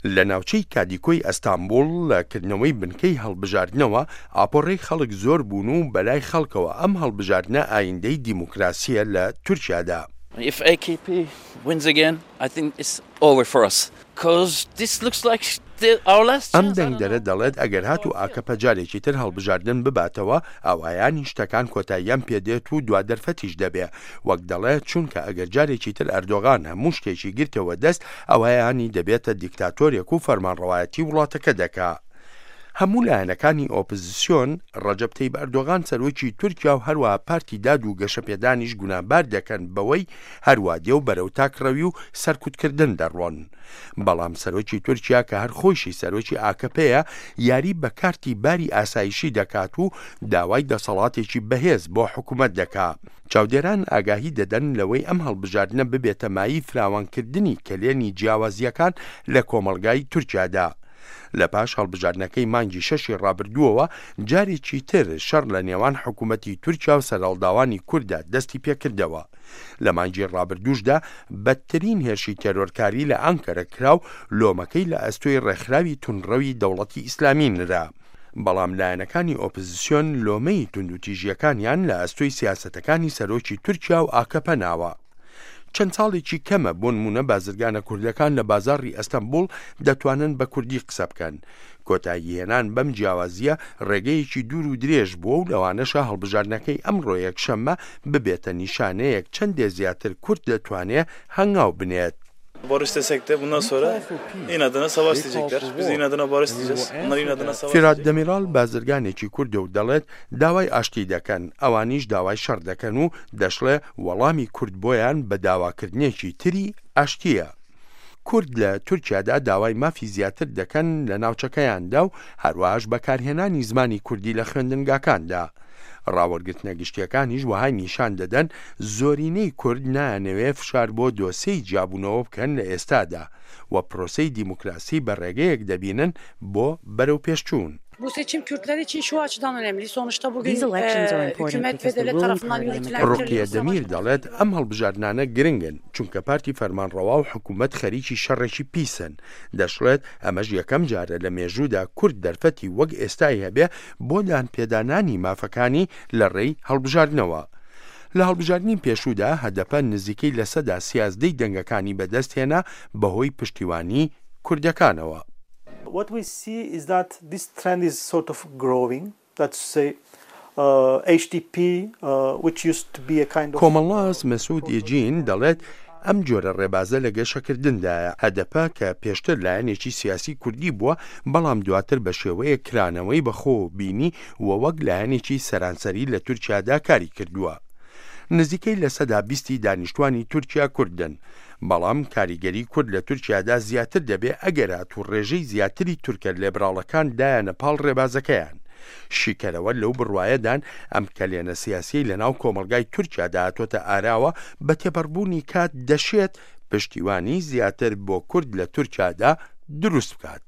لە ناوچەی کادیکۆی ئەستانبوڵ لە کردنەوەی بنکەی هەڵبژاردنەوە ئاپۆڕەی خەڵک زۆر بوون و بەلای خەڵکەوە ئەم هەڵبژاردنە ئایندەی دیموکراسییە لە تورکیادا. If AKP wins again, I think it's over for us. Cause this looks like our last ئەم chance. I don't دەنگدەرە know. دەڵێت ئەگەر هاتوو ئاکەپە جارێکی تر هەڵبژاردن بباتەوە ئەوایانی شتەکان کۆتاییان پێدێت و دوا دەرفەتیش دەبێ وەک دەڵێ چونکە ئەگەر جارێکی تر ئەردۆغان هەموو شتێکی گرتەوە دەست ئەوایانی دەبێتە دیکتاتۆرێک و فەرمانڕەوایەتی وڵاتەکە دەکا. هەموو لایەنەکانی ئۆپزسیۆن ڕەجەب تەیب ئەردۆغان سەرۆکی تورکیا و هەروەها پارتی داد و گەشەپێدانیش گوناهبار دەکەن بەوەی هەروا دێ و بەرەو تاکڕەوی و سەرکوتکردن دەڕۆن. بەڵام سەرۆکی تورکیا کە هەر خۆیشی سەرۆکی ئاکەپەیە یاری بە کارتی باری ئاسایشی دەکات و داوای دەسەڵاتێکی بەهێز بۆ حکومەت دەکا. چاودێران ئاگاهی دەدەن لەوەی ئەم هەڵبژاردنە ببێتە مایەی فراوانکردنی کەلێنی جیاوازییەکان لە کۆمەڵگای تورکیادا. لە پاش هەڵبژاردنەکەی مانگی شەشی ڕابردووەوە جارێکی تر شەڕ لە نێوان حکوومەتی تورکیا و سەرهەڵداوانی کورددا دەستی پێکردەوە. لە مانگی ڕابردووشدا بەدترین هێرشی تێرۆرکاری لە ئانکەرە کرا و لۆمەکەی لە ئەستۆی ڕێکخراوی توندڕەوی دەوڵەتی ئیسلامی نرا. بەڵام لایەنەکانی ئۆپزسیۆن لۆمەی توندوتیژییەکانیان لە ئەستۆی سیاسەتەکانی سەرۆکی تورکیا و ئاکەپە ناوە. چەند ساڵێکی کەمە بۆنمونە بازرگانە کوردەکان لە بازاڕی ئەستەنبوڵ دەتوانن بە کوردی قسە بکەن. کۆتاییهێنان بەم جیاوازییە ڕێگەیەکی دوور و درێژ بووە و لەوانەشە هەڵبژاردنەکەی ئەمڕۆ یەکشەممە ببێتە نیشانەیەک چەندێ زیاتر کورد دەتوانێ هەنگاو بنێت. Barış desek de bundan sonra inadına savaş diyecekler. Biz inadına barış diyeceğiz. Onlar inadına savaş فیرات diyecek. دەمیرال بازرگانێکی کوردە و دەڵێت، داوای ئاشتی دەکەن، ئەوانیش داوای شەڕ دەکەن و دەشڵێ، وەڵامی کورد بۆیان بە داواکردنێکی تری ئاشتییە. کورد لە تورکیادا داوای مافی زیاتر دەکەن لە ناوچەکەیاندا و هەروەهاش بەکارهێنانی زمانی کوردی لە خوێندنگاکاندا. ڕاوەرگرتنە گشتیەکانیش وەهای نیشان دەدەن زۆرینەی کورد نایانەوێ فشار بۆ دۆسێی جیابوونەوە بکەن لە ئێستادا و پرۆسەی دیموکراسی بە ڕێگەیەک دەبینن بۆ بەرەوپێشچوون. Bu seçim Kürtler için şu açıdan önemli. Sonuçta bugün These elections are important hükümet because ve the devlet ruling tarafından party and the yürütülen government ڕوقیە kirli bir savaş دەمیر دەڵێت، ئەم هەڵبژاردنانە گرنگن، چونکە پارتی فەرمانڕەوا و حکومەت خەریکی شەڕێکی پیسن. دەشڵێت، ئەمەش یەکەم جارە لە مێژوودا کورد دەرفەتی وەک ئێستای هەبێ بۆ دانپێدانانی مافەکانی لە ڕێی هەڵبژاردنەوە. لە هەڵبژاردنی پێشوودا هەدەپە نزیکەی لەسەدا سیازدەی دەنگەکانی بەدەستهێنا بەهۆی پشتیوانی کوردەکانەوە. What we see is that this trend is sort of growing, that's to say HDP, which used to be a kind of کۆمەڵناس مەسعود ئێجین دەڵێت، ئەم جۆرە ڕێبازە لە گەشەکردندایە، هەدەپە کە پێشتر لایەنێکی سیاسی کوردی بووە، بەڵام دواتر بە شێوەیەک کرانەوەی بەخۆوە بینی و وەک لایەنێکی سەرانسەری لە تورکیادا کاری کردووە. نزیکەی لەسەدا بیستی دانیشتوانی تورکیا کوردن. بەڵام کاریگەری کورد لە تورکیادا زیاتر دەبێ ئەگەر هاتوو ڕێژەی زیاتری تورکە لێبراڵەکان دایانە پاڵ ڕێبازەکەیان. شیکەرەوە لەو بڕوایەدان ئەم کەلێنە سیاسیەی لەناو کۆمەڵگای تورکیادا هاتۆتە ئاراوە بە تێپەڕبوونی کات دەشێت پشتیوانی زیاتر بۆ کورد لە تورکیادا دروست بکات.